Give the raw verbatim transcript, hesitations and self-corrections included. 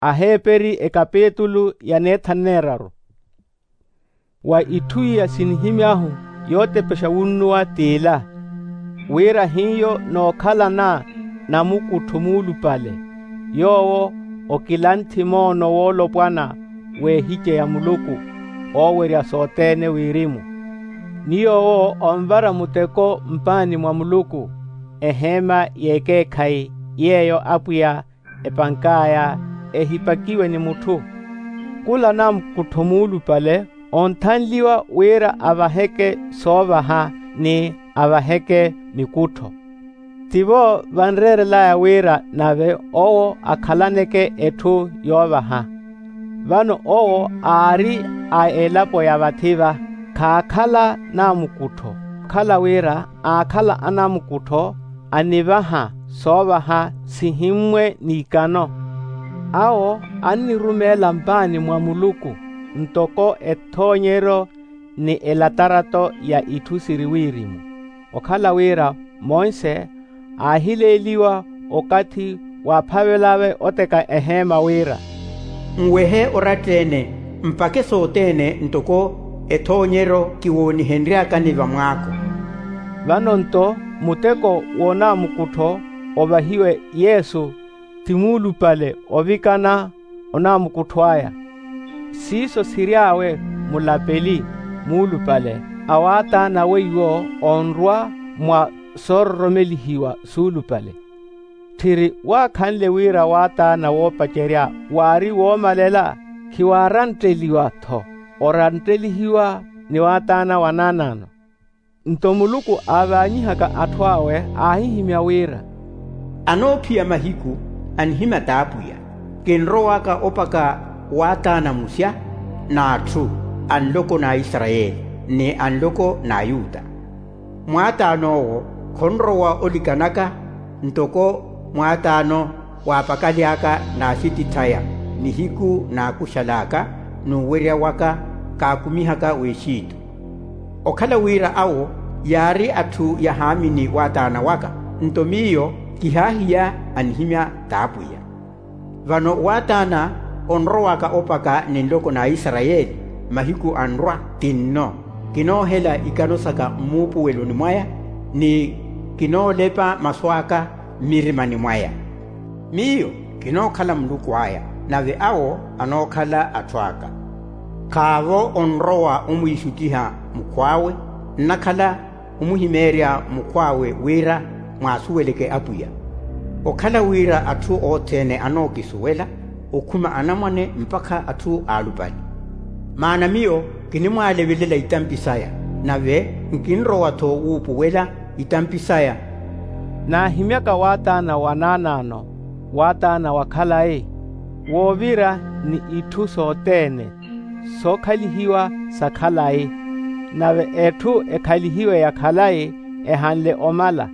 Aheeperi ekapitulu ya neethanu neeraru. Wa itthu iya sinihimy'ahu yootepexa wunnuwa t'ila, wira hiyo nookhalana namukuttho muulupale, yoowo okilanthi moono woolopwana w'ehice ya muluku oowerya sothene wirimu. Ni yoowo onvara muteko mpaani mwa muluku, eheema y'ekeekhayi, yeeyo apwiya epank'aya ehipakiwe ni mutthu. Khula namukuttho muulupale onthanliwa wira avaheke soovaha ni avaheke mikuttho. Tivo vanreerel'aya wira nave owo akhalaneke etthu yoovaha. Vano owo aari a elapo ya vathi-va, khaakhala namukuttho, okhala wira aakhala anamukuttho anivaha soovaha sihimmwe n'ikano. Awo annirumeela mpaani mwa muluku ntoko ethoonyeryo ni elatarato ya itthu siri wirimu, okhala wira monse aahileeliwa okathi waaphavel'awe oteka eheema wira, nwehe oratta-ene, mpakhe sothene ntoko ethoonyeryo kiwoonihenry'akani vamwaako. Vano-nto muteko w'onamukuttho ovahiwe yesu ti muulupale ovikana onamukuttho aya. Siiso siry'awe mulapeli muulupale a waataana weiwo onrwa mwa soororomelihiwa suulupale. Tthiri waakhanle wira waataana woopacerya waari woomalela, khiwaarantteliwa-tho, oranttelihiwa ni waataana wanaanaano. Nto muluku aavaanyihaka atthu awe aahihimya wira, anoophiya mahiku anihimya t'apwiya, kinrowaka opaka waataana musya n'atthu a nloko n'aisarayeli ni a nloko n'ayuta. Mwaataan'owo khonrowa olikanaka ntoko mwaataano waapakaly'aka n'axitith'aya nihiku n'akuxal'aka n'uwerya waka kaakumihaka w'exitu. Okhala wira awo yaari atthu yahaamini waataana waka, nto miyo kihaahiya anihimya t'apwiya. Vano waataana onrowaka opaka ni nloko n'aisarayeli mahiku anrwa ti nno, kinoohela ikano saka mmuupuweloni mwaya ni kinoolepa masu aka mmirimani mwaya. Miyo kinookhala muluku aya, nave awo anookhala atthu aka. Khaavo onrowa omwiixuttiha mukhw'awe, nnakhala omuhimeerya mukhw'awe wira mwaasuweleke apwiya. Okhala wira atthu othene anookisuwela, okhuma anamwane mpakha atthu aalupale. Maana miyo kinimwaalevelela itampi saya, nave nkinrowa-tho wuupuwela itampi saya. Naahimyaka waataana wa naanaano, waataana wa khalayi, woovira ni itthu sothene sookhalihiwa sa khalayi. Nave etthu ekhalihiwe ya khalayi ehanle omala,